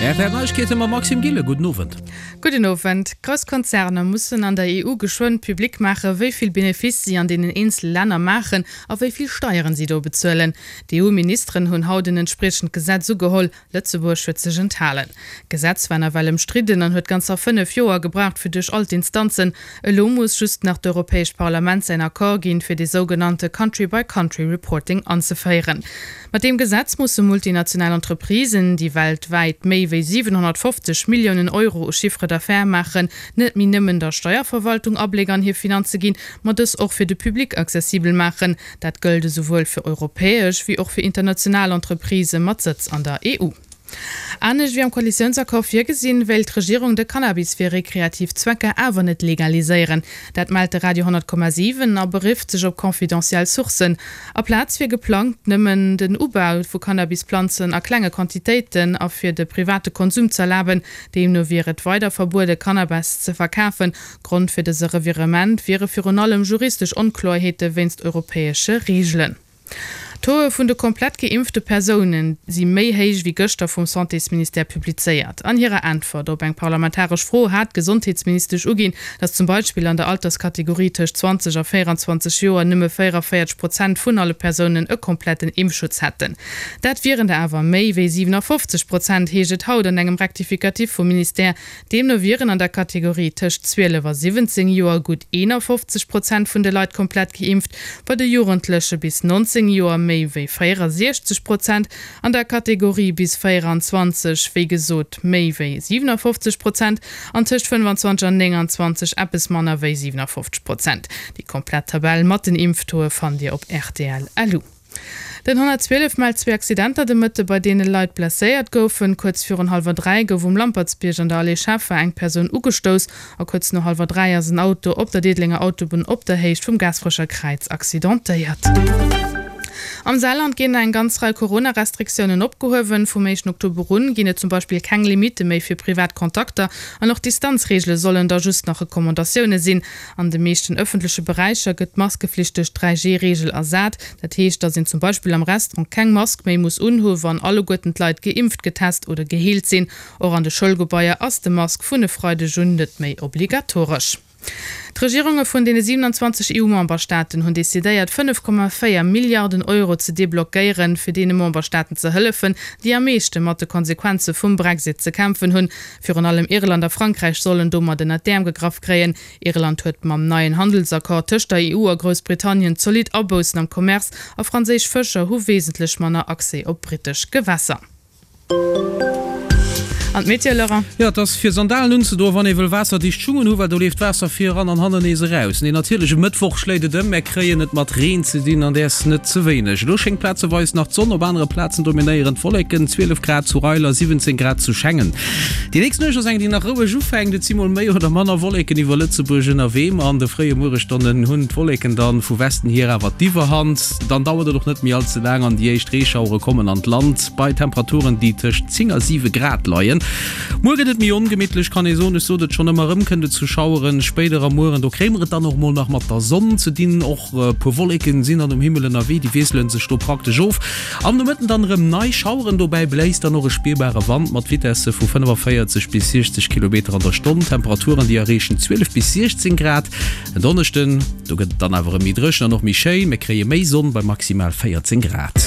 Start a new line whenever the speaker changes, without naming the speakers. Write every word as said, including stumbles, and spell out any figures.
R T L Neiegkeete mam Maxime Gillen. Gudden Owend.
Gudden Owend. Grouss Konzerner mussen an der E U geschwënn public maachen, wéi vill Benefice si an deenen eenzele Länner maachen a wéi vill Steieren si do bezuelen. D'E U-Ministeren hunn haut en entspriechend Gesetz ugeholl. Lëtzebuerg huet sech enthalen. D'Gesetz war nawell ëmstridden an huet ganzer fënnef Joer gebraucht fir duerch all d'Instanzen. Elo muss just nach d'Europäescht Parlament säin Accord ginn, fir dee sougenannte Country-by-Country-Reporting anzeféieren. Mat deem Gesetz musse multinational Entreprisen, déi weltwäit méi wéi siwenhonnertfofzeg Milliounen Euro u Chiffre d'affaires maachen, net méi nëmmen der Steierverwaltung Abléck an hir Finanze ginn, ma dës och fir de Public accessibel maachen. Dat gëllt esouwuel fir europäesch wéi och fir international Entreprisë mat Sëtz an der E U. Anescht wéi am Koalitiounsaccord virgesinn, wéilt d'Regierung de Cannabis fir rekreativ Zwecker awer net legaliséieren. Dat mellt de Radio honnert Komma siwen a berifft sech op confidentiel Sourcen. Aplaz wier geplangt, nëmmen den Ubau vu Cannabisplanzen a klenge Quantitéiten a fir de private Konsum z'erlaben. Deemno wier et weider verbuede Cannabis ze verkafen. Grond fir dëse Revirement wiere virun allem juristesch Onkloerheete wéinst europäesche Reegelen. D'Tauxe vun de komplett geimpfte Persounen si méi héich wéi gëschter vum Santésministère publizéiert. An hirer Äntwert op eng parlamentaresch Fro hat d'Gesondheetsministesch uginn, datt zum Beispill an der Alterskategorie tëscht zwanzeg a véierenzwanzeg Joer nëmme véierunvéierzeg Prozent vun alle Persounen e kompletten Impfschutz hätten. Dat wieren der awer méi wéi siwenafofzeg Prozent, heescht et haut an engem Rectificatif vum Ministère. Deemno wieren an der Kategorie tëscht zwielef a siwwenzéng Joer gutt eenafofzeg Prozent vun de Leit komplett geimpft, bei de Jugendleche bis nonzéng Joer méi wéi véierundsechzeg Prozent, an der Kategorie bis véierundzwanzeg wéi gesot méi wéi siwenafofzeg Prozent an tëscht fënnefanzwanzeg an nénganzwanzeg eppes manner wéi siwenafofzeg Prozent. Déi komplett Tabell mat den Impftauxe fannt Dir op rtl. Lu. Den honnertzwielef mellt zwee Accidenter de Mëtte, bei deene Leit blesséiert goufen. Kuerz virun hallwer dräi gouf um Lampertsbierg an der Allée Scheffer eng Persoun ugestouss a kuerz no hallwer dräi ass en Auto op der Diddelenger Autobunn op der Héicht vum Gaasperecher Kräiz accidentéiert. Am Saarland ginn eng ganz Rei Corona-Restriktiounen opgehuewen. Vum éischten Oktober un ginn et zum Beispill keng Limitte méi fir privat Kontakter an och d'Distanzreegele sollen da just nach Recommandatioune sinn. An de meeschten ëffentleche Beräicher gëtt d'Maskeflicht duerch d'dräi G-Reegel ersat. Dat heescht, datt een zum Beispill am Restaurant keng Mask méi muss unhu wann alleguerten d'Leit geimpft, getest oder geheelt sinn. Och an de Schoulgebaier ass de Mask vun e Freideg un net méi obligatoresch. D'Regierunge vun deene siewenanzwanzeg E U-Memberstaaten hunn decidéiert, fënnef Komma véier Milliarden Euro ze deblockéieren, fir deene Memberstaaten ze hëllefen, déi am meeschte mat de Konsequenze vum Brexit ze kämpfen hunn. Virun allem Irland a Frankräich sollen domat ënnert d'Äerm gegraff kréien. Irland huet mam neien Handelsaccord tëscht der E U a Groussbritannien zolidd Aboussen am Commerce a franséisch Fëscher hu wesentlech manner Accès op brittesch Gewässer. An d'Meteo, Laurent?
Jo, et ass fir Sandalen unzedoen, wann ee wëll waasserdicht Schungen hu, well do leeft d'Waasser vir eran an hannen nees eraus. Nee, natierlech, e Mëttwoch schléit et ëm, mär kréien et mat Reen ze dinn an däers net ze wéineg. Elo schéngt plazeweis nach d'Sonn, op anere Plazen dominéieren d'Wolleken, zwielef Grad zu Reiler, siwwenzéng Grad zu Schengen. Déi nächst Nuecht ass eng, déi nach roueg ufänkt, et si mol méi oder manner Wolleken iwwer Lëtzebuerg ënnerwee, ma an de fréie Mueresstonnen hunn d'Wolleken dann vu Westen hier awer d'Iwwerhand. Dann dauert et och net méi all ze laang an déi éischt Reeschauere kommen an d'Land, bei Temperaturen, déi tëscht zéng a siwe Grad leien. Muer gëtt et méi ongemittlech, kann ee soen. Ech sot et schonn, ëmmer erëm kënnt et zu Schaueren. Spéider am Mueren, do kréie mer et dann och mol nach mat der Sonn ze dinn. Och e puer Wolleken sinn dann um Himmel ënnerwee, déi wiessele sech do praktesch of. Am Nomëtten dann erëm nei Schaueren, dobäi bléist dann och e spierbare Wand mat Vitesse vu fënnefavéierzeg bis siechzeg Kilometer an der Stonn. Temperaturen, déi erreechen zwielef bis siechzéng Grad. En Donneschden, do gëtt et dann awer erëm méi dréchen an och méi schéin, mir kréie méi Sonn bei maximal véierzéng Grad.